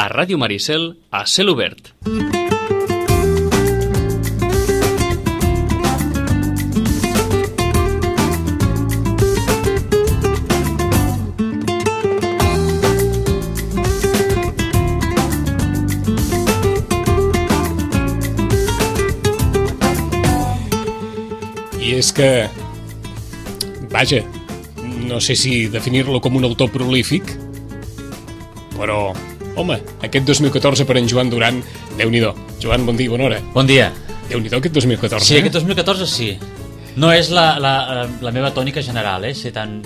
a Ràdio Maricel, a Cel Obert. I és que, vaja, no sé si definir-lo com un autor prolífic, però, home, aquest 2014 per en Joan Duran, Déu-n'hi-do. Joan, bon dia, bona hora. Bon dia. Déu-n'hi-do aquest 2014, Sí, aquest 2014 sí. No és la meva tònica general, ser tan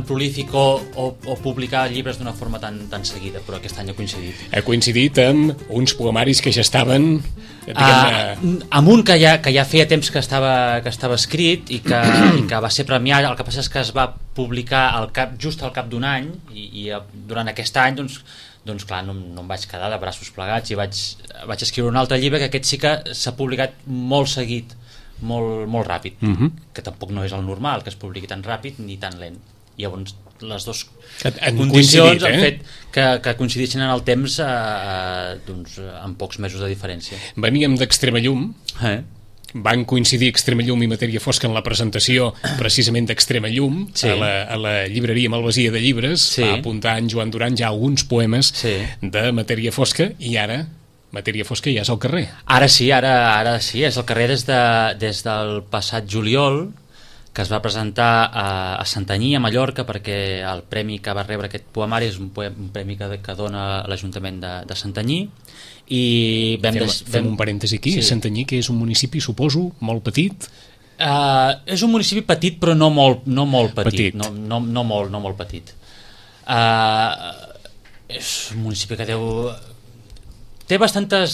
prolífic o publicar llibres d'una forma tan seguida, però aquest any ha coincidit. Ha coincidit amb uns poemaris que ja estaven... Amb un que ja feia temps que estava escrit i que va ser premiat. El que passa és que es va publicar just al cap d'un any i durant aquest any doncs clar, no em vaig quedar de braços plegats i vaig escriure un altre llibre que aquest sí que s'ha publicat molt seguit, molt ràpid, que tampoc no és el normal que es publiqui tan ràpid ni tan lent. Llavors les dues condicions han fet que coincidissin en el temps amb pocs mesos de diferència. Veníem d'Extrema Llum, van coincidir Extrema Llum i Matèria Fosca en la presentació precisament d'Extrema Llum, sí. a la llibreria Malvasia de Llibres, sí. Va apuntar en Joan Duran ja alguns poemes de Matèria Fosca, i ara Matèria Fosca ja és al carrer. Ara sí, és al carrer des del passat juliol, que es va presentar a Santanyí, a Mallorca, perquè el premi que va rebre aquest poemari és un premi que dona l'Ajuntament de Santanyí. I fem un parèntesi aquí, sí. Santanyí, que és un municipi, suposo, molt petit. És un municipi petit, però no molt petit. No molt petit. És un municipi que té bastanta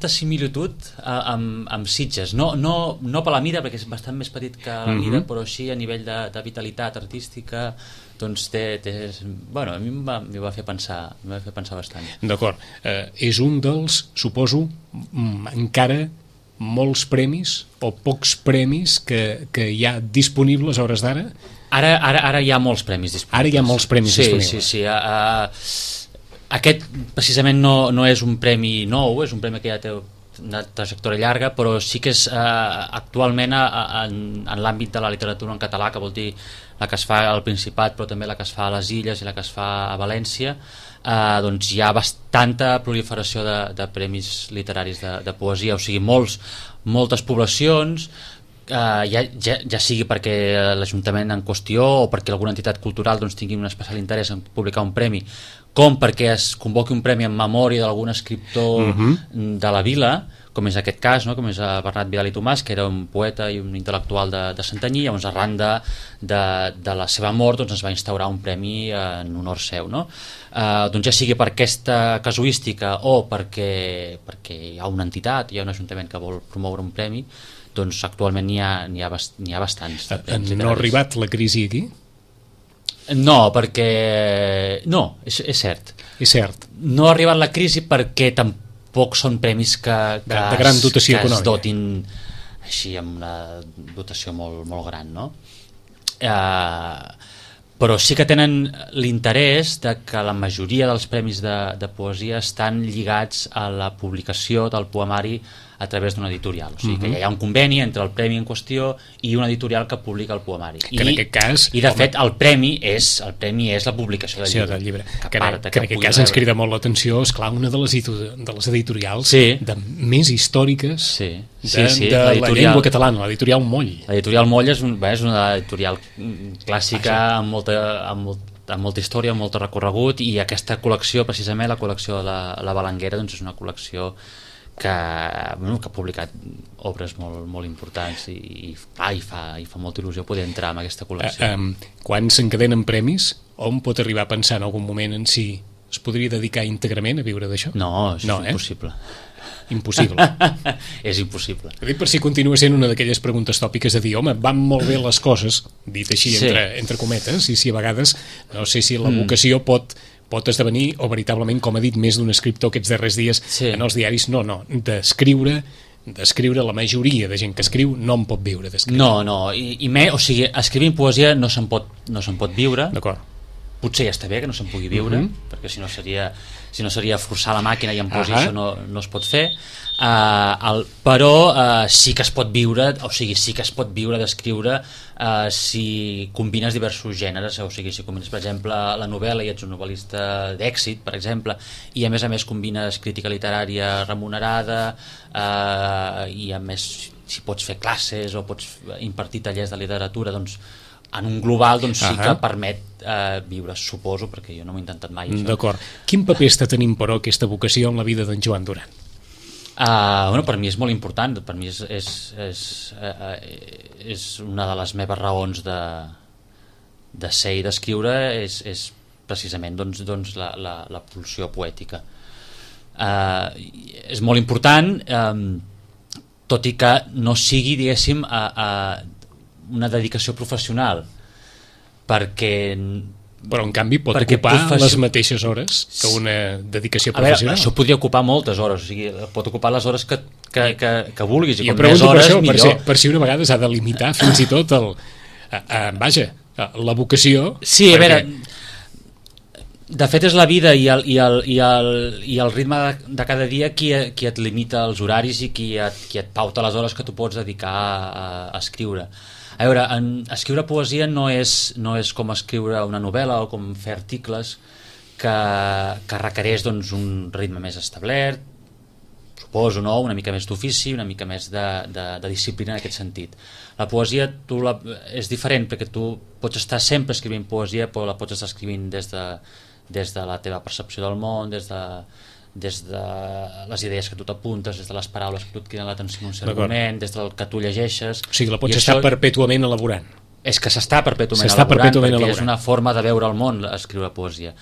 similitud amb Sitges, no per la mida, perquè és bastant més petit que la mida, però sí a nivell de vitalitat artística, doncs bueno, a mi m'hi va fer pensar bastant. D'acord, és un dels, suposo, encara molts premis o pocs premis que hi ha disponibles a hores d'ara? Ara hi ha molts premis disponibles. Ara hi ha molts premis disponibles. Sí. Aquest precisament no és un premi nou, és un premi que ja té una trajectòria llarga, però sí que és actualment en l'àmbit de la literatura en català, que vol dir la que es fa al Principat, però també la que es fa a les Illes i la que es fa a València, doncs hi ha bastanta proliferació de premis literaris de poesia, o sigui, moltes poblacions, ja sigui perquè l'Ajuntament en qüestió o perquè alguna entitat cultural tingui un especial interès en publicar un premi, com perquè es convoqui un premi en memòria d'algun escriptor de la vila, com és aquest cas, no? Com és Bernat Vidal i Tomàs, que era un poeta i un intel·lectual de Santanyí. Llavors, arran de la seva mort, es va instaurar un premi en honor seu, no? Doncs ja sigui per aquesta casuística o perquè hi ha una entitat, hi ha un ajuntament que vol promoure un premi, doncs actualment n'hi ha bastants. No ha arribat la crisi aquí? No, perquè... No, és cert. És cert. No ha arribat la crisi perquè tampoc són premis que de gran dotació econòmica. Es dotin així amb una dotació molt gran, no? Però sí que tenen l'interès de que la majoria dels premis de poesia estan lligats a la publicació del poemari a través d'una editorial, o sigui que hi ha un conveni entre el premi en qüestió i una editorial que publica el poemari. Que en aquest cas... I de fet el premi és la publicació del llibre. Que en aquest cas ens crida molt l'atenció, esclar, una de les editorials més històriques de la llengua catalana, l'editorial Moll. L'editorial Moll és una editorial clàssica amb molta història, amb molt recorregut, i aquesta col·lecció, precisament la col·lecció de la Balanguera, doncs és una col·lecció que ha publicat obres molt importants i fa molta il·lusió poder entrar en aquesta col·lecció. Quan s'encadenen premis, hom pot arribar a pensar en algun moment en si es podria dedicar íntegrament a viure d'això? No, és impossible. Impossible. És impossible. Per si continua sent una d'aquelles preguntes tòpiques de dir, home, van molt bé les coses, dit així entre cometes, i si a vegades no sé si la vocació pot esdevenir, o veritablement, com ha dit més d'un escriptor aquests darrers dies en els diaris, d'escriure la majoria de gent que escriu no en pot viure d'escriure. No, o sigui, escrivint poesia no se'n pot viure. D'acord. potser ja està bé que no se'n pugui viure, perquè si no seria forçar la màquina i en posi, això no es pot fer. Però sí que es pot viure, o sigui, sí que es pot viure d'escriure si combines diversos gèneres, o sigui, si combines, per exemple, la novel·la i ets un novel·lista d'èxit, per exemple, i a més combines crítica literària remunerada, i a més si pots fer classes o pots impartir tallers de literatura, doncs en un global doncs sí que permet viure, suposo, perquè jo no m'ho he intentat mai. D'acord. Quin paper està tenint, però, aquesta vocació en la vida d'en Joan Duran? Bueno, per mi és molt important, per mi és una de les meves raons de ser i d'escriure, és precisament doncs, la pulsió poètica. És molt important, tot i que no sigui, diguéssim, una dedicació professional, perquè... Però en canvi pot ocupar les mateixes hores que una dedicació professional. A veure, això podria ocupar moltes hores, o sigui, pot ocupar les hores que vulguis, i com més hores això, millor. Per si una vegada s'ha de limitar fins i tot la vocació. Sí, a veure, de fet és la vida i el ritme de cada dia qui et limita els horaris i qui et pauta les hores que tu pots dedicar a escriure. A veure, escriure poesia no és com escriure una novel·la o com fer articles que requereix doncs, un ritme més establert, suposo, no? Una mica més d'ofici, una mica més de disciplina en aquest sentit. La poesia és diferent perquè tu pots estar sempre escrivint poesia, però la pots estar escrivint des de la teva percepció del món, des de les idees que tu t'apuntes, des de les paraules que tu et criden l'atenció en un cert moment, des del que tu llegeixes. O sigui, la pots estar perpètuament elaborant. És que s'està perpètuament elaborant, perquè és una forma de veure el món, escriure poesia.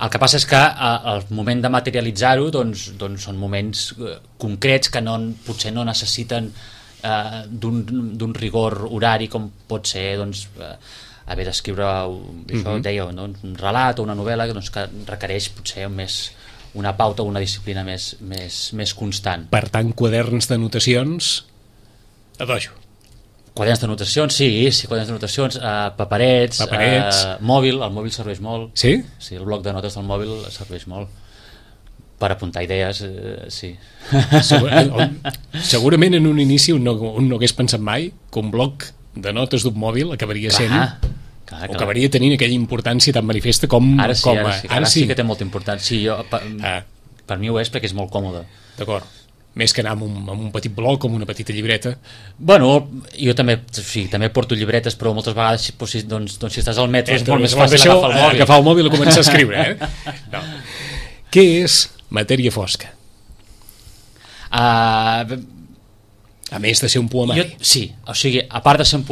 El que passa és que al moment de materialitzar-ho doncs són moments concrets que potser no necessiten d'un rigor horari com pot ser haver d'escriure això, deia, un relat o una novel·la que requereix potser una pauta o una disciplina més constant. Per tant, quaderns d'anotacions a dojo. Quaderns d'anotacions, sí, quaderns d'anotacions, paperets, mòbil, el mòbil serveix molt. Sí? Sí, el bloc de notes del mòbil serveix molt per apuntar idees, sí. Segurament en un inici un no hagués pensat mai que un bloc de notes d'un mòbil acabaria sent... Clar. O acabaria tenint aquella importància tan manifesta com... Ara sí que té molta importància. Per mi ho és perquè és molt còmode. D'acord. Més que anar amb un petit bloc, com una petita llibreta. Bueno, jo també porto llibretes, però moltes vegades si estàs al metro és molt més fàcil agafar el mòbil. Agafar el mòbil i començar a escriure, No. Què és Matèria fosca? A més de ser un poemari. Sí, o sigui, a part de ser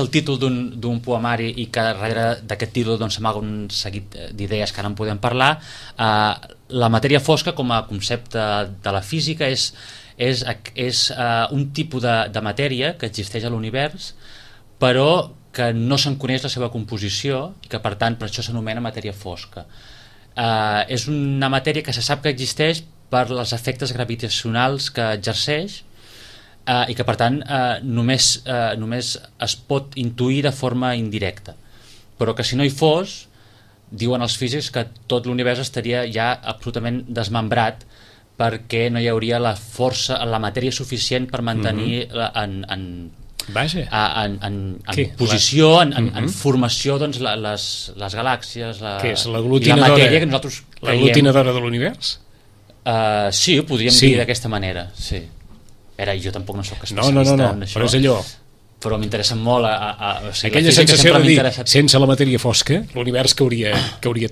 el títol d'un poemari i que darrere d'aquest títol s'amaga un seguit d'idees que ara en podem parlar, la matèria fosca com a concepte de la física és un tipus de matèria que existeix a l'univers però que no se'n coneix la seva composició i que per tant per això s'anomena matèria fosca. És una matèria que se sap que existeix per els efectes gravitacionals que exerceix i que per tant només es pot intuir de forma indirecta, però que si no hi fos, diuen els físics que tot l'univers estaria ja absolutament desmembrat perquè no hi hauria la força, la matèria suficient per mantenir en posició, en formació les galàxies, què és, la matèria que nosaltres creiem. L'aglutinadora de l'univers? Sí, ho podríem dir d'aquesta manera, sí. Jo tampoc no soc especialista en això, però és allò. Però m'interessa molt aquella sensació de dir, sense la matèria fosca l'univers cauria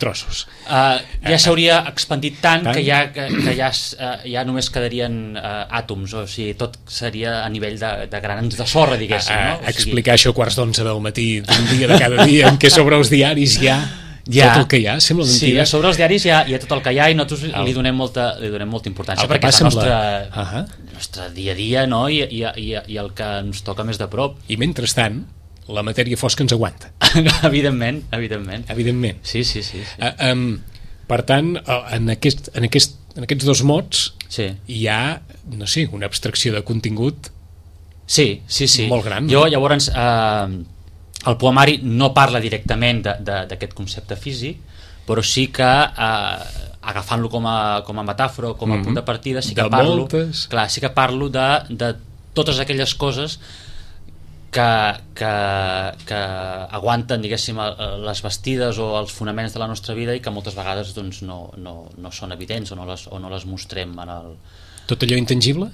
trossos. Ja s'hauria expandit tant que ja només quedarien àtoms, o sigui, tot seria a nivell de grans de sorra, diguéssim. Explicar això a 11:15 del matí d'un dia de cada dia en què sobre els diaris tot el que hi ha, sembla mentida. Sí, sobre els diaris hi ha tot el que hi ha i nosaltres li donem molta importància perquè és el nostre dia a dia, no? I el que ens toca més de prop. I mentrestant la matèria fosca ens aguanta. Evidentment. Sí. Per tant, en aquests dos mots hi ha, no sé, una abstracció de contingut molt gran. Jo llavors el poemari no parla directament d'aquest concepte físic, però sí que agafant-lo com a metàfora, com a punt de partida, sí que parlo de totes aquelles coses que aguanten, diguéssim, les bastides o els fonaments de la nostra vida i que moltes vegades doncs, no són evidents o no les mostrem en el... Tot allò intangible?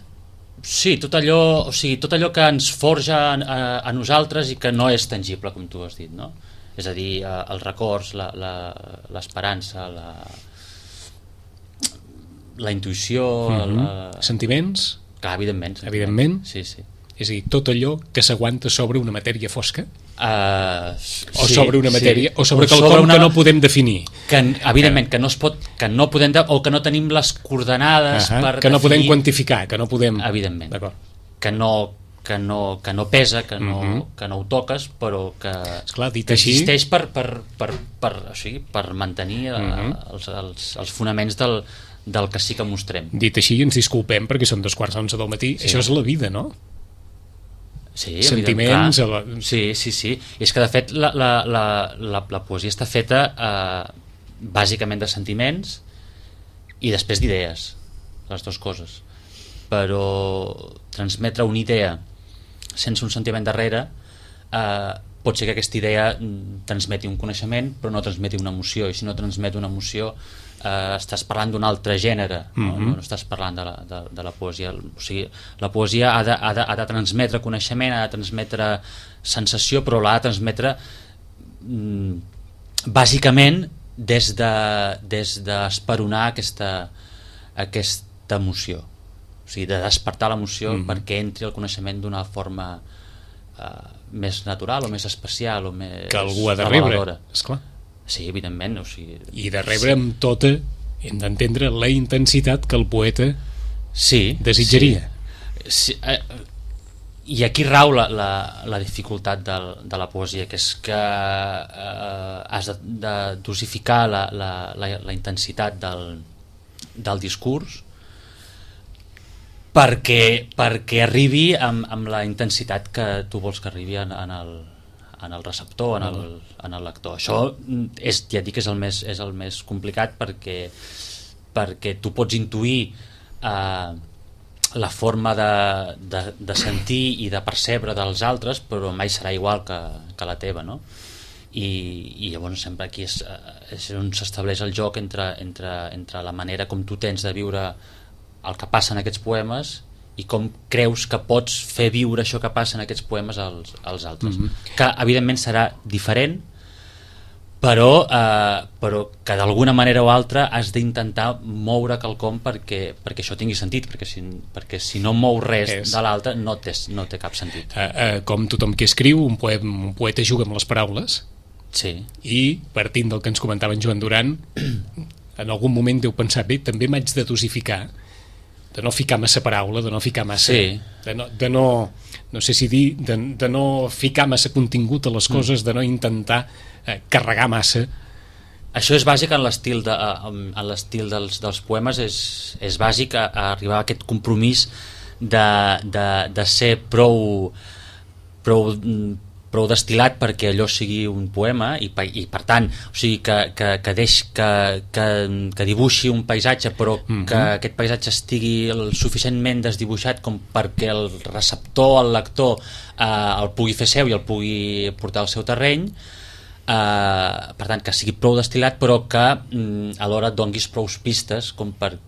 Sí, tot allò que ens forja a nosaltres i que no és tangible, com tu has dit, no? És a dir, els records, l'esperança, la intuïció... Sentiments? Clar, evidentment. Evidentment? Sí, sí. És a dir, tot allò que s'aguanta sobre una matèria fosca? O Sí, sobre una matèria, sí. o sobre quelcom que no podem definir. Que, evidentment, que no es pot, que no podem, o que no tenim les coordenades per que no definir, podem quantificar, que no podem... Evidentment. D'acord. Que no pesa, que no ho toques, però que, esclar, dit que així... existeix per mantenir els fonaments del que sí que mostrem. Dit així, ens disculpem perquè són 2:45 del matí. Sí. Això és la vida, no? Sí, sentiments... Sí. I és que, de fet, la poesia està feta bàsicament de sentiments i després d'idees, les dues coses. Però transmetre una idea sense un sentiment darrere pot ser que aquesta idea transmeti un coneixement però no transmeti una emoció, i si no transmet una emoció estàs parlant d'un altre gènere, no estàs parlant de la poesia. O sigui, la poesia ha de transmetre coneixement, ha de transmetre sensació, però l'ha de transmetre bàsicament des d'esperonar aquesta emoció, o sigui, de despertar l'emoció perquè entri el coneixement d'una forma més natural o més especial o més que algú ha de rebre, esclar. Sí, evidentment, o sigui... I de rebre amb tota, hem d'entendre la intensitat que el poeta desitjaria. Sí. I aquí rau la dificultat de la poesia, que és que has de dosificar la intensitat del discurs perquè arribi amb la intensitat que tu vols que arribi en el receptor, en el lector. Això ja dic que és el més complicat perquè tu pots intuir la forma de sentir i de percebre dels altres, però mai serà igual que la teva, no? I llavors sempre aquí és on s'estableix el joc entre la manera com tu tens de viure el que passa en aquests poemes i com creus que pots fer viure això que passa en aquests poemes als altres, que evidentment serà diferent, però que d'alguna manera o altra has d'intentar moure quelcom perquè això tingui sentit, perquè si no mou res de l'altre no té cap sentit. Com tothom que escriu, un poeta juga amb les paraules, i partint del que ens comentava en Joan Duran, en algun moment deu pensar, bé, també m'haig de dosificar, de no ficar massa paraula, de no ficar massa... de no sé si dir, de no ficar massa contingut a les coses, de no intentar carregar massa. Això és bàsic en l'estil dels poemes, és bàsic arribar a aquest compromís de ser prou destil·lat perquè allò sigui un poema i per tant, o sigui, que dibuixi un paisatge però que aquest paisatge estigui suficientment desdibuixat com perquè el receptor, el lector el pugui fer seu i el pugui portar al seu terreny, per tant que sigui prou destil·lat però que alhora et donguis prou pistes com per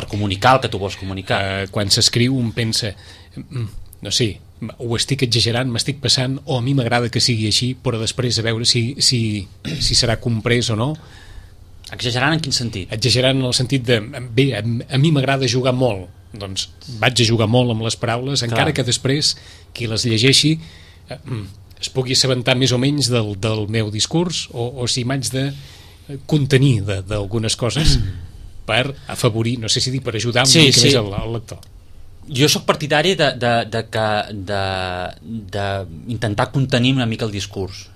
comunicar el que tu vols comunicar. Quan s'escriu un pensa, no sé, ho estic exagerant, m'estic passant, o a mi m'agrada que sigui així, però després a veure si serà comprès o no. Exagerant en quin sentit? Exagerant en el sentit de, bé, a mi m'agrada jugar molt, doncs vaig a jugar molt amb les paraules, encara que després qui les llegeixi es pugui assabentar més o menys del meu discurs, o si m'haig de contenir d'algunes coses per afavorir, no sé si dir per ajudar una mica més al lector. Jo sóc partidari d'intentar contenir una mica el discurs,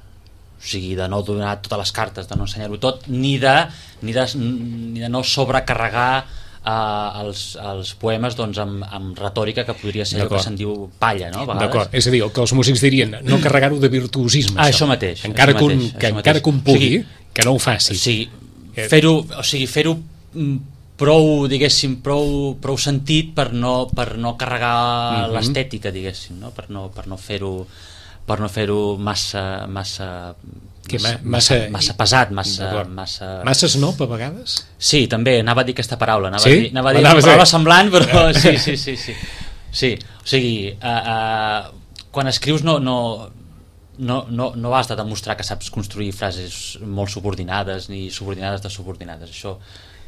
o sigui, de no donar totes les cartes, de no ensenyar-ho tot, ni de no sobrecarregar els poemes doncs, amb retòrica que podria ser allò que se'n diu palla, no? D'acord, és a dir, el que els músics dirien no carregar-ho de virtuosisme, això mateix, encara que un pugui, que no ho faci. O sigui, fer-ho prou, diguéssim, prou sentit per no carregar l'estètica, diguéssim, no? Per no fer-ho massa pesat, massa snob a vegades? Sí, també, anava a dir aquesta paraula, anava a dir una paraula semblant, però sí, o sigui, quan escrius no has de demostrar que saps construir frases molt subordinades ni subordinades de subordinades,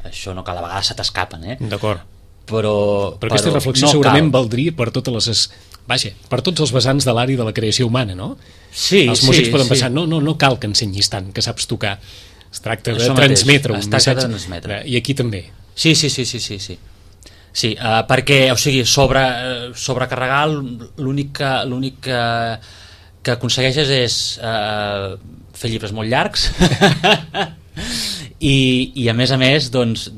això no cal, a vegades se t'escapen, D'acord. Però aquesta reflexió segurament valdria per per tots els vessants de l'àrea de la creació humana, no? Sí, els músics poden pensar, no cal que ensenyis tant, que saps tocar, es tracta de transmetre un missatge, i aquí també. Sí, perquè, o sigui, sobrecarregar l'únic que aconsegueixes és fer llibres molt llargs i a més doncs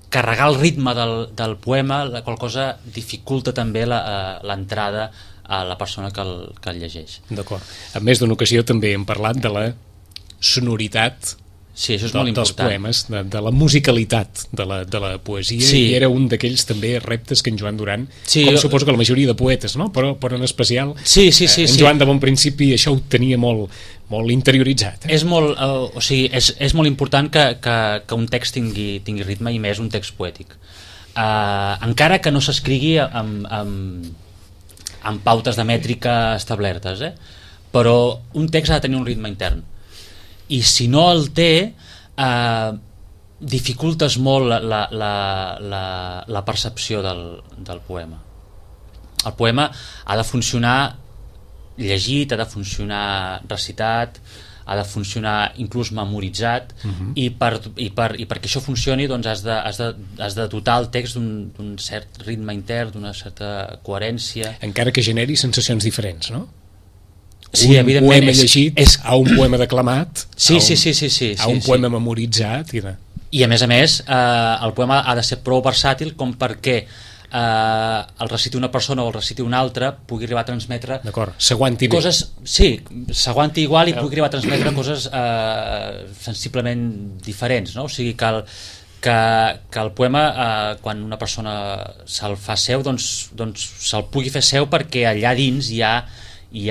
carregar el ritme del poema, la qual cosa dificulta també l'entrada a la persona que el llegeix. D'acord. En més d'una ocasió també hem parlat de la sonoritat dels poemes, de la musicalitat de la poesia, i era un d'aquells també reptes que en Joan Duran, suposo que la majoria de poetes, no? Però en especial en Joan de bon principi això ho tenia molt interioritzat. És molt important que un text tingui ritme, i més un text poètic, encara que no s'escrigui amb pautes de mètrica establertes, però un text ha de tenir un ritme intern, i si no el té dificultes molt la percepció del poema. El poema ha de funcionar llegit, ha de funcionar recitat, ha de funcionar inclús memoritzat, i perquè això funcioni doncs has de dotar el text d'un cert ritme intern, d'una certa coherència, encara que generi sensacions diferents, no? Sí, un poema llegit a un poema declamat, a un poema memoritzat, i a més el poema ha de ser prou versàtil com perquè el reciti una persona o el reciti una altra pugui arribar a transmetre s'aguanti coses, s'aguanti igual, i pugui arribar a transmetre coses sensiblement diferents, no? O sigui que el poema, quan una persona se'l fa seu, doncs se'l pugui fer seu, perquè allà dins hi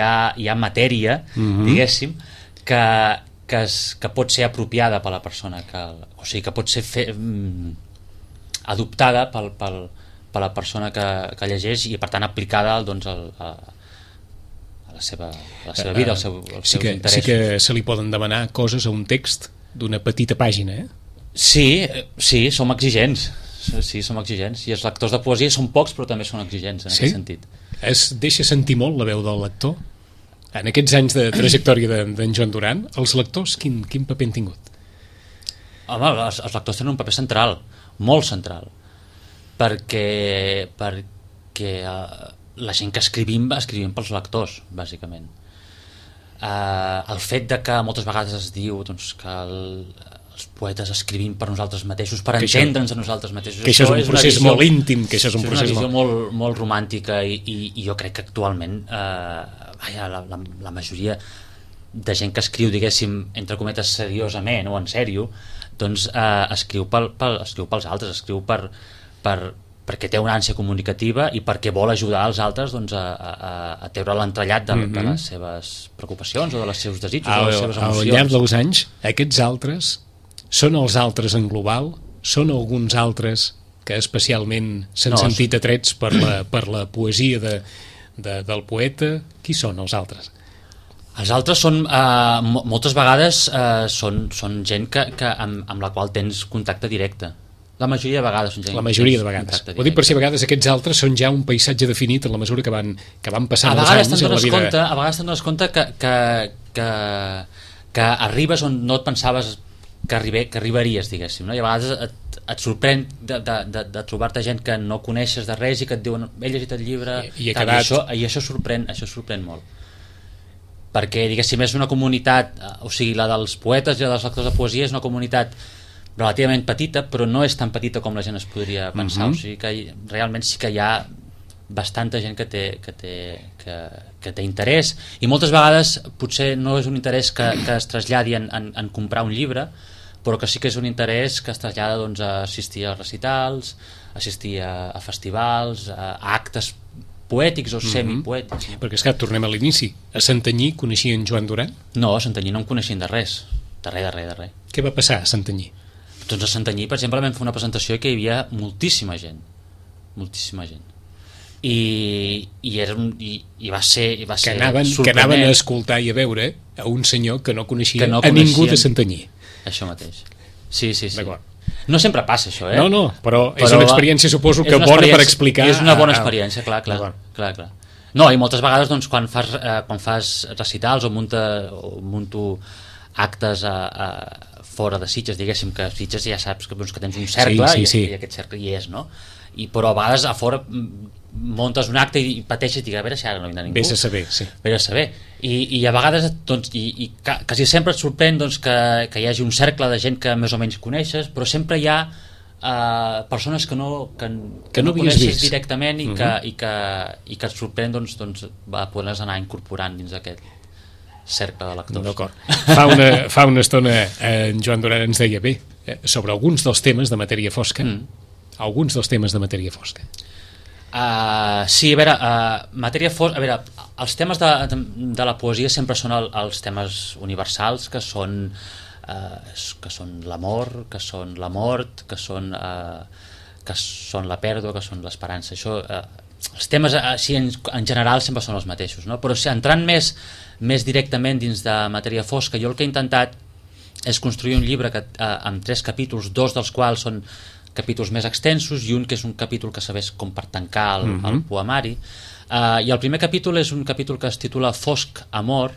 ha matèria, diguéssim, que pot ser apropiada per la persona, o sigui, que pot ser adoptada per la persona que llegeix, i per tant aplicada doncs, a la seva vida, als seus interessos. Sí que se li poden demanar coses a un text d'una petita pàgina, Sí, som exigents. Sí, som exigents, i els lectors de poesia són pocs, però també són exigents en aquest sentit. Es deixa sentir molt la veu del lector? En aquests anys de trajectòria d'en Joan Duran, els lectors quin paper han tingut? Home, els lectors tenen un paper central, molt central, perquè la gent que escrivim pels lectors, bàsicament. El fet de que moltes vegades es diu doncs, que els poetes escrivim per nosaltres mateixos, per entendre'ns a nosaltres mateixos, que això és un procés molt íntim, que això és una visió molt romàntica, i jo crec que actualment la majoria de gent que escriu, diguéssim, entre cometes seriosament o en sèrio, doncs escriu pels altres, escriu perquè té una ànsia comunicativa i perquè vol ajudar els altres doncs, a treure l'entrellat de les seves preocupacions o de les seus desitjos o de les seves emocions. Al llarg dels anys, aquests altres són els altres en global? Són alguns altres que especialment s'han sentit atrets per la poesia del poeta? Qui són els altres? Els altres són, moltes vegades, són gent amb la qual tens contacte directe. La majoria de vegades són gent. La majoria de vegades. Ho dic per si a vegades aquests altres són ja un paisatge definit en la mesura que van passant els anys a la vida. A vegades te'n dones compte que arribes on no et pensaves que arribaries, diguéssim, no? I a vegades et sorprèn de trobar-te gent que no coneixes de res i que et diuen, he llegit el llibre, i això sorprèn molt, perquè, diguéssim, és una comunitat, o sigui, la dels poetes i la dels lectors de poesia és una comunitat relativament petita, però no és tan petita com la gent es podria pensar. O sigui que realment sí que hi ha bastanta gent que té interès, i moltes vegades potser no és un interès que es traslladi en comprar un llibre, però que sí que és un interès que es trasllada doncs, a assistir a recitals, assistir a festivals, a actes poètics o semipoètics. Perquè és que tornem a l'inici. A Santanyí coneixien Joan Duran? No, a Santanyí no em coneixien de res. De res. Què va passar a Santanyí? Doncs a Santanyí, per exemple, vam fer una presentació i que hi havia moltíssima gent. I va ser que anaven a escoltar i a veure a un senyor que no coneixia a ningú de Santanyí. Això mateix. Sí. D'acord. No sempre passa això, No, però és una experiència, suposo, que bona per explicar. És una bona experiència, clar. No, i moltes vegades doncs, quan fas recitals o munto actes fora de Sitges, diguéssim, que Sitges ja saps que tens un cercle i aquest cercle hi és, no? Però a vegades a fora montes un acte i pateixes i dius, a veure si ara no vindrà ningú. Vés a saber. I a vegades doncs, i quasi sempre et sorprèn doncs, que hi hagi un cercle de gent que més o menys coneixes, però sempre hi ha persones que no coneixes directament i que et sorprèn doncs, poder-les anar incorporant dins d'aquest cercle de lectors. D'acord. Fa una estona en Joan Duran ens deia sobre alguns dels temes de matèria fosca. Alguns dels temes de matèria fosca. Sí, a veure, matèria fosca, a veure, els temes de la poesia sempre són els temes universals, que són l'amor, que són la mort, que són la pèrdua, que són l'esperança. Això, els temes així en general sempre són els mateixos, no? Però si entrant més directament dins de matèria fosca, jo el que he intentat és construir un llibre amb 3 capítols, 2 dels quals són capítols més extensos i un que és un capítol que serveix com per tancar el poemari, i el primer capítol és un capítol que es titula Fosc Amor,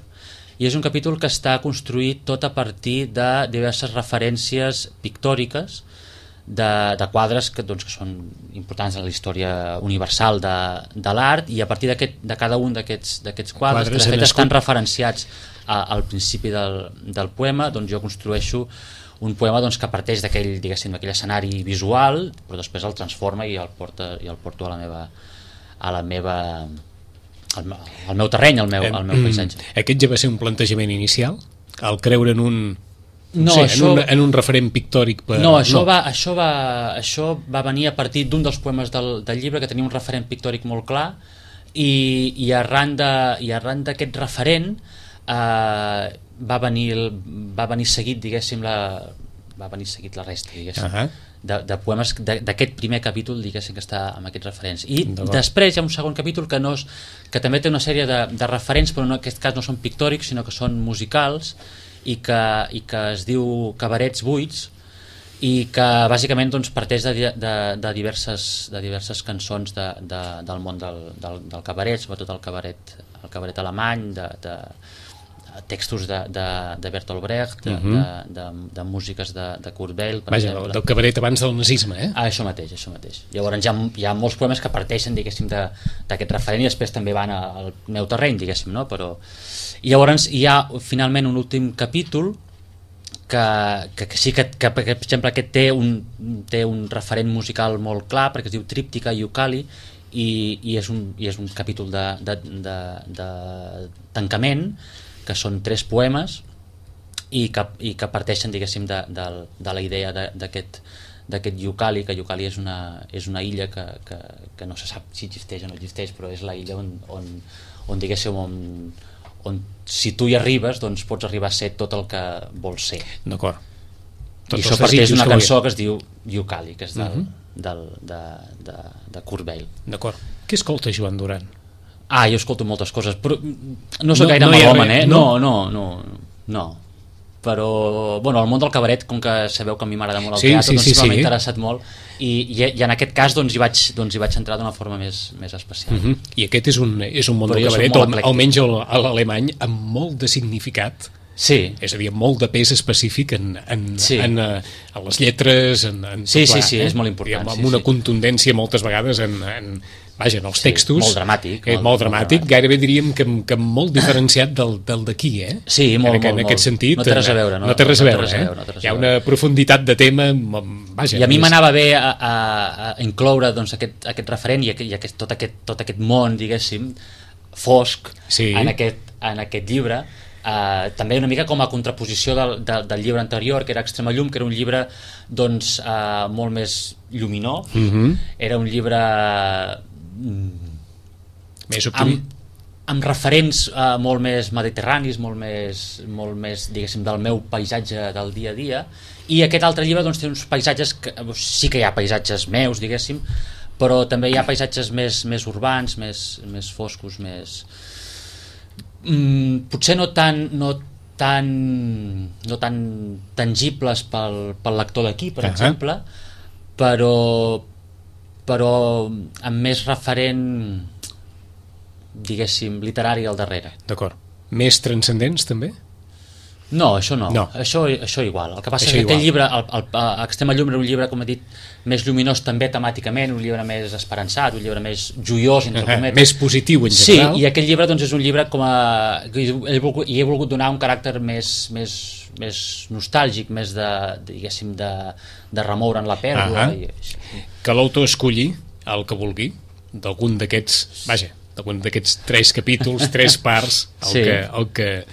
i és un capítol que està construït tot a partir de diverses referències pictòriques de quadres que són importants en la història universal de l'art, i a partir de cada un d'aquests quadres, que de fet estan referenciats al principi del poema, doncs jo construeixo un poema que parteix d'aquell escenari visual, però després el transforma i el porto al meu terreny, al meu paisatge. Aquest ja va ser un plantejament inicial? El creure en un referent pictòric? Això va venir a partir d'un dels poemes del llibre, que tenia un referent pictòric molt clar, i arran d'aquest referent va venir seguit, diguéssim, la resta, diguéssim, de poemes d'aquest primer capítol, diguéssim, que està amb aquests referents. I després hi ha un segon capítol que també té una sèrie de referents, però en aquest cas no són pictòrics, sinó que són musicals, i que es diu Cabarets buits, i que bàsicament parteix de diverses cançons del món del cabaret, sobretot el cabaret alemany, de textos de Bertolt Brecht, de músiques de Kurt Weill, per exemple. Del cabaret abans del nazisme, Això mateix. Llavors hi ha molts poemes que parteixen, diguéssim, d'aquest referent, i després també van al meu terreny, diguéssim, no? I llavors hi ha finalment un últim capítol que sí que per exemple aquest té un referent musical molt clar, perquè es diu Tríptica Iucali, i és un capítol de tancament, que són 3 poemes i que parteixen, diguéssim, de la idea d'aquest Iucali, que Iucali és una illa que no se sap si existeix o no existeix, però és la illa on diguéssim, on si tu hi arribes, doncs pots arribar a ser tot el que vols ser. D'acord. I això parteix d'una cançó que es diu Iucali, que és de Kurt Weill. D'acord. Què escolta Joan Duran? Jo escolto moltes coses, però no soc gaire melòman, No. Però, el món del cabaret, com que sabeu que a mi m'agrada molt el teatre, sí m'ha interessat molt, i en aquest cas hi vaig entrar d'una forma més especial. I aquest és un món del cabaret, almenys a l'alemany, amb molt de significat. Sí. És a dir, molt de pes específic en les lletres, Sí, és molt important. Amb una contundència moltes vegades vaja, en els textos... Molt dramàtic. Molt dramàtic, gairebé diríem que molt diferenciat del d'aquí, Sí, molt. En aquest sentit... No té res a veure. No té res a veure. Hi ha una profunditat de tema... Vaja, i a mi m'anava bé a incloure doncs, aquest referent i tot aquest món, diguéssim, fosc en aquest llibre, també una mica com a contraposició del llibre anterior, que era Extrema llum, que era un llibre doncs, molt més lluminós, era un llibre més optimista, amb referents molt més mediterranis, molt més diguéssim del meu paisatge del dia a dia, i aquest altre llibre doncs, té uns paisatges sí que hi ha paisatges meus, diguéssim, però també hi ha paisatges més urbans, més foscos, més... potser no tan tangibles pel lector d'aquí, per exemple, però amb més referent, diguéssim, literari al darrere. D'acord. Més transcendents, també? No, això no. Això igual. El que passa és que aquest llibre, Extrema llum, era un llibre, com he dit, més lluminós també temàticament, un llibre més esperançat, un llibre més joiós, entre cometes. Més positiu en general. Sí, i aquest llibre doncs, és un llibre i he volgut donar un caràcter més nostàlgic, més diguéssim, de remoure en la pèrdua. Que l'autor escolli el que vulgui, d'algun d'aquests, d'algun d'aquests 3 capítols, 3 parts, el que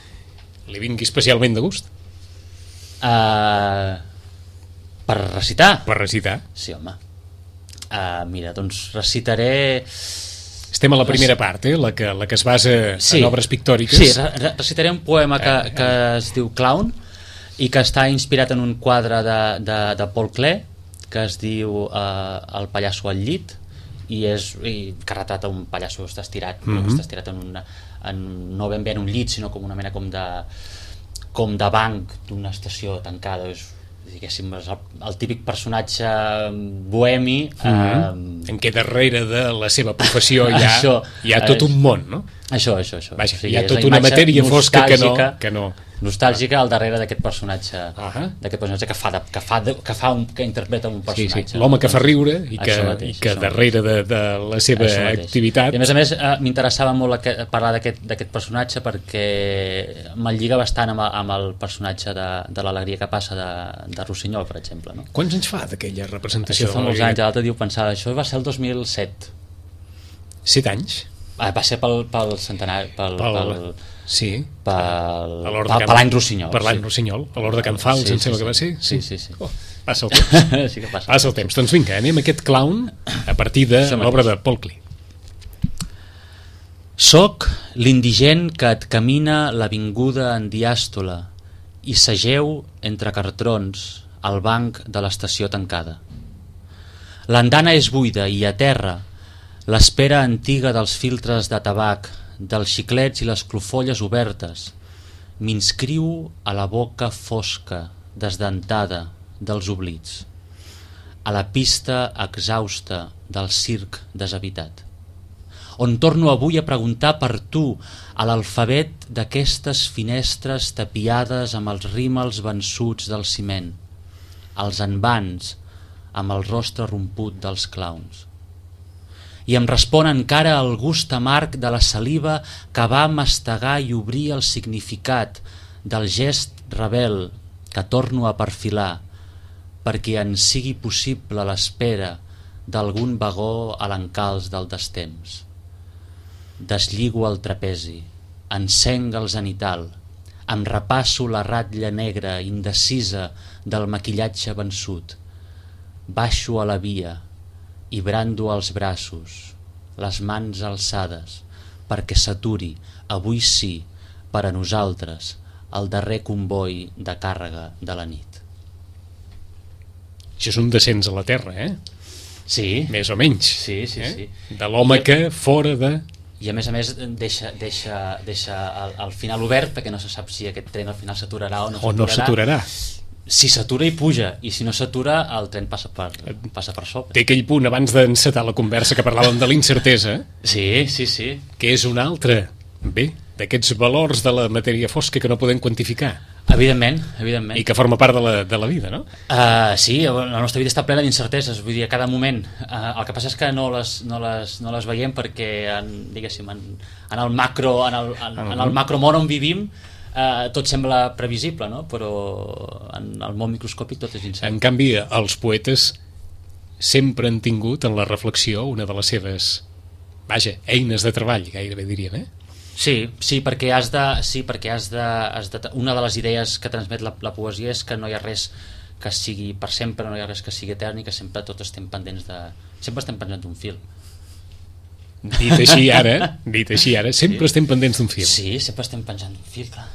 li vingui especialment de gust. Per recitar? Per recitar. Sí, home. Mira, doncs recitaré... Estem a la primera part, la que es basa en obres pictòriques. Sí, recitaré un poema que es diu Clown i que està inspirat en un quadre de Paul Klee que es diu El pallasso al llit i que retrata un pallasso que està estirat, està estirat no ben bé en un llit, sinó com una mena com de banc d'una estació tancada. Diguéssim, el típic personatge bohemi en què darrere de la seva professió hi ha tot un món, no? Això. Vaja, hi ha tota una matèria fosca que no... Nostàlgica al darrere d'aquest personatge, que interpreta un personatge. Sí. L'home que fa riure i que darrere de la seva activitat... I a més m'interessava molt parlar d'aquest personatge perquè me'l lliga bastant amb el personatge de l'Alegria que passa de Rossinyol, per exemple. No? Quants anys fa d'aquella representació? Això fa molts anys, l'altre dia ho pensava, això va ser el 2007. 7 anys? Va ser pel centenari, per l'any Rossinyol. Per l'any Rossinyol, a l'hora de Can Fals, em sembla que va ser? Sí. Passa el temps. Sí que passa el temps. Doncs vinga, anem a aquest Clown a partir de l'obra de Paul Klee. Soc l'indigent que et camina l'avinguda en diàstole i segeu entre cartrons al banc de l'estació tancada. L'andana és buida i a terra l'espera antiga dels filtres de tabac, dels xiclets i les clofolles obertes, m'inscriu a la boca fosca, desdentada dels oblits, a la pista exhausta del circ deshabitat, on torno avui a preguntar per tu a l'alfabet d'aquestes finestres tapiades amb els rímels vençuts del ciment, als envans amb el rostre romput dels clowns. I em respon encara el gust amarg de la saliva que va mastegar i obrir el significat del gest rebel que torno a perfilar perquè en sigui possible l'espera d'algun vagó a l'encalç del destemps. Deslligo el trapezi, encenc el zenital, em repasso la ratlla negra indecisa del maquillatge vençut, baixo a la via i brando els braços, les mans alçades, perquè s'aturi, avui sí, per a nosaltres, el darrer comboi de càrrega de la nit. Això és un descens a la terra, Sí. Més o menys. Sí. De l'home que fora de... I a més deixa el final obert, perquè no se sap si aquest tren al final s'aturarà o no s'aturarà. Si s'atura i puja, i si no s'atura el tren passa per sobre. Té aquell punt abans d'encetar la conversa que parlàvem de l'incertesa, sí, que és un altre. Bé, d'aquests valors de la matèria fosca que no podem quantificar. Evidentment. I que forma part de la vida, no? Sí, la nostra vida està plena d'incerteses, vull dir, a cada moment. El que passa és que no les veiem perquè, diguéssim, en el macro món on vivim, tot sembla previsible, no? Però en el món microscòpic tot és incert. En canvi, els poetes sempre han tingut en la reflexió una de les seves, eines de treball, gairebé diríem, Sí, perquè una de les idees que transmet la poesia és que no hi ha res que sigui per sempre, no hi ha res que sigui etern i que sempre tots estem pendents d'un fil. Dit així ara, sempre estem pendents d'un fil. Sí, sempre estem penjant d'un fil, clar.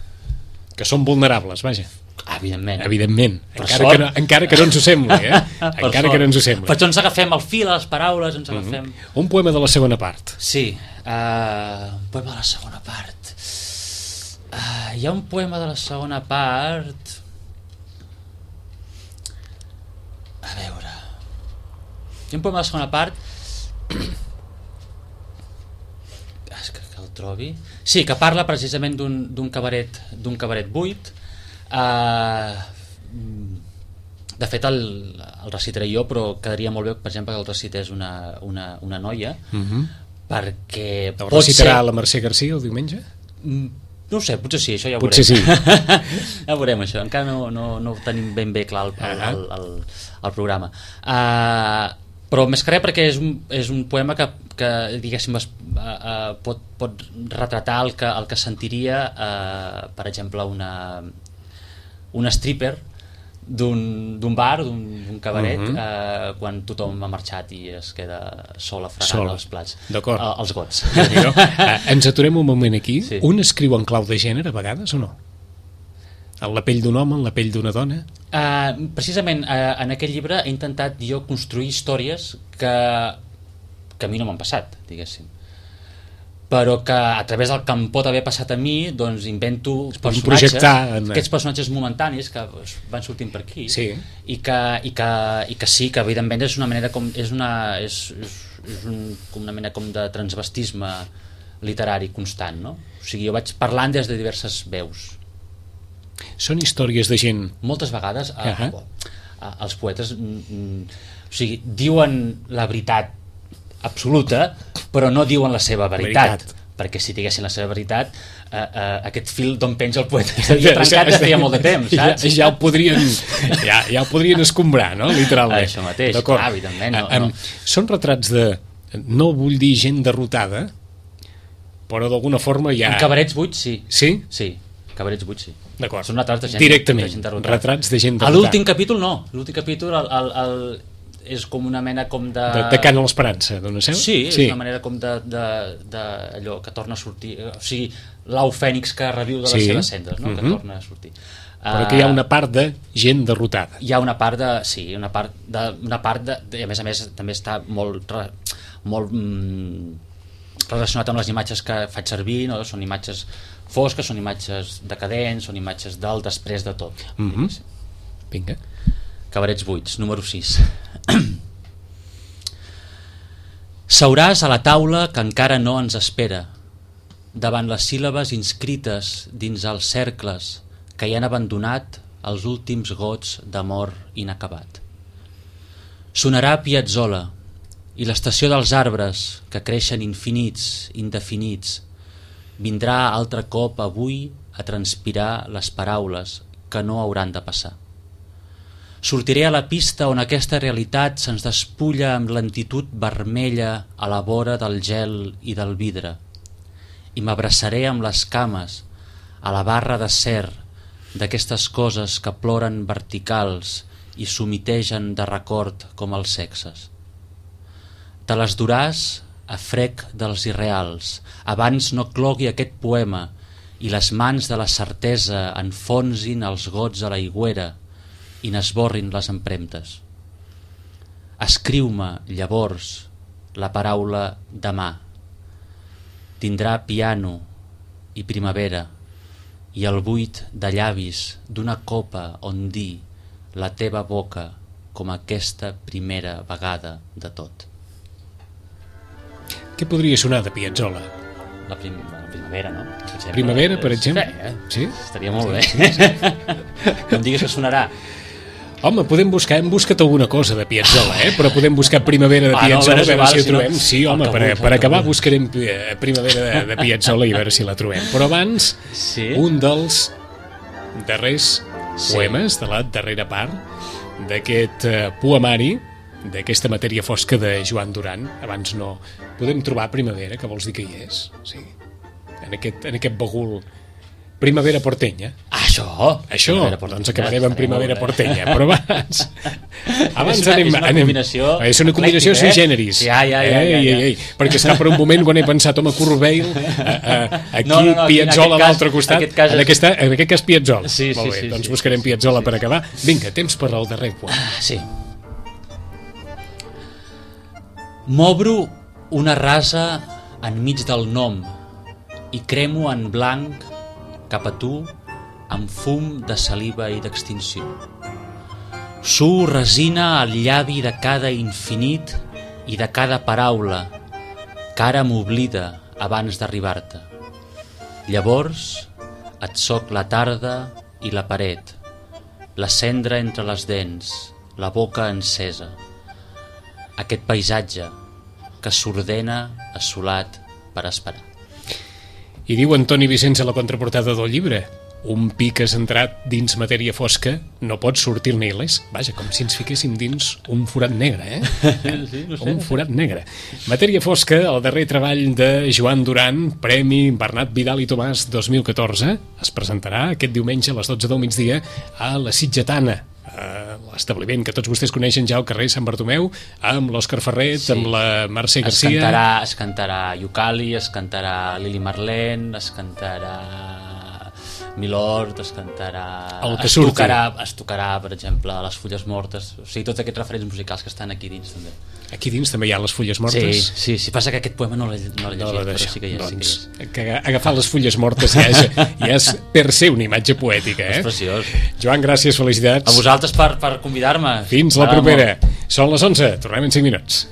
Que són vulnerables, vaja. Evidentment. Encara que no ens ho sembli, encara que no ens ho sembli. Per això ens agafem el fil a les paraules, ens agafem... Un poema de la segona part. Sí, un poema de la segona part. Hi ha un poema de la segona part... A veure... Hi ha un poema de la segona part... que el trobi... Sí, que parla precisament d'un cabaret buit. De fet el recitaré jo, però quedaria molt bé, per exemple, que el recités una noia, perquè el recitarà la Mercè Garcia el diumenge? No ho sé, potser sí, això ja ho veurem. Potser sí. Ja ho veurem, això, encara no ho tenim ben bé clar el programa. Però més que res perquè és un poema que diguéssim, pot retratar el que sentiria, per exemple, una stripper d'un bar, d'un cabaret, quan tothom ha marxat i es queda sola fregant els plats, els gots. Ens aturem un moment aquí. Sí. Un escriu en clau de gènere a vegades o no? En la pell d'un home, en la pell d'una dona? Precisament en aquest llibre he intentat jo construir històries que a mi no m'han passat, diguéssim, però que a través del que em pot haver passat a mi, doncs invento personatges, aquests personatges momentanis que van sortint per aquí, sí. i que sí, que evidentment és una manera com una mena com de transvestisme literari constant, no? O sigui, jo vaig parlant des de diverses veus. Són històries de gent... Moltes vegades els poetes o sigui, diuen la veritat absoluta, però no diuen la seva veritat. Perquè si diguessin la seva veritat, aquest fil d'on penja el poeta estaria trencat des de feia molt de temps, saps? Ja ho podrien escombrar, no? Literalment. Això mateix, evidentment. Són retrats de... No vull dir gent derrotada, però d'alguna forma ja... En cabarets buits, sí. Sí? Sí, cabarets buits, sí. D'acord. Són retrats de gent directament, retrats de gent derrotada. A l'últim capítol no. L'últim capítol és com una mena com de... De cant a l'esperança, d'una seu? Sí, és una manera com d'allò que torna a sortir, o sigui, l'au fènix que reviu de les seves cendres, no? Que torna a sortir. Però que hi ha una part de gent derrotada. Hi ha una part de... Sí, una part de a més també està molt relacionat amb les imatges que faig servir, no? Són imatges fosques, són imatges decadents, són imatges del després de tot. Vinga. Cabarets buits, número 6. Seuràs a la taula que encara no ens espera, davant les síl·labes inscrites dins els cercles que hi han abandonat els últims gots d'amor inacabat. Sonarà Piazzolla i l'estació dels arbres que creixen infinits, indefinits, vindrà altre cop avui a transpirar les paraules que no hauran de passar. Sortiré a la pista on aquesta realitat se'ns despulla amb lentitud vermella a la vora del gel i del vidre i m'abraçaré amb les cames a la barra d'acer d'aquestes coses que ploren verticals i s'humitegen de record com els sexes. Te les duràs a frec dels irreals abans no clogui aquest poema i les mans de la certesa enfonsin els gots a l'aigüera i n'esborrin les empremtes. Escriu-me, llavors, la paraula demà. Tindrà piano i primavera i el buit de llavis d'una copa on dir la teva boca com aquesta primera vegada de tot. Què podria sonar de Piazzolla? la primavera, no? Primavera, per exemple? Sí? Estaria molt bé. No em diguis que sonarà. Home, podem buscar, hem buscat alguna cosa de Piazzolla, però podem buscar Primavera de Piazzolla, a veure si la trobem. Sí, home, per acabar buscarem Primavera de Piazzolla i a veure si la trobem. Però abans, un dels darrers poemes de la darrera part d'aquest poemari, d'aquesta matèria fosca de Joan Duran. Abans no podem trobar Primavera, que vols dir que hi és? Sí. En aquest bagul Primavera portenya. Això, doncs acabarem amb Primavera portenya. Però abans anem... És una combinació... És una combinació sui generis. Perquè està per un moment quan he pensat, home, Kurt Weill, aquí Piazzolla a l'altre costat. En aquest cas Piazzolla. Molt bé, doncs buscarem Piazzolla per acabar. Vinga, temps per al darrer poema. Sí. M'obro una rasa enmig del nom i cremo en blanc cap a tu amb fum de saliva i d'extinció. Su resina al llavi de cada infinit i de cada paraula que ara m'oblida abans d'arribar-te. Llavors et soc la tarda i la paret, la cendra entre les dents, la boca encesa. Aquest paisatge que s'ordena assolat per esperar. I diu Antoni Vicenç a la contraportada del llibre: un pi que has entrat dins matèria fosca no pot sortir-ne il·lès. Vaja, com si ens fiquéssim dins un forat negre, Sí, no sé. Un forat negre. Matèria fosca, el darrer treball de Joan Duran, Premi Bernat Vidal i Tomàs 2014, es presentarà aquest diumenge a les 12 del migdia a la Sitgetana, l'establiment que tots vostès coneixen ja al carrer Sant Bartomeu, amb l'Òscar Ferret, amb la Mercè Garcia. Es cantarà Iucali, es cantarà Lili Marlene, es cantarà Milord, es cantarà... El que surti. Es tocarà, per exemple, Les Fulles Mortes, o sigui, tots aquests referents musicals que estan aquí dins també. Aquí dins també hi ha Les Fulles Mortes? Sí, passa que aquest poema no l'he llegit, però sí que hi és. Doncs, que agafar Les Fulles Mortes ja és per ser una imatge poètica, És preciós. Joan, gràcies, felicitats. A vosaltres per convidar-me. Fins la propera. Són les 11, tornem en 5 minuts.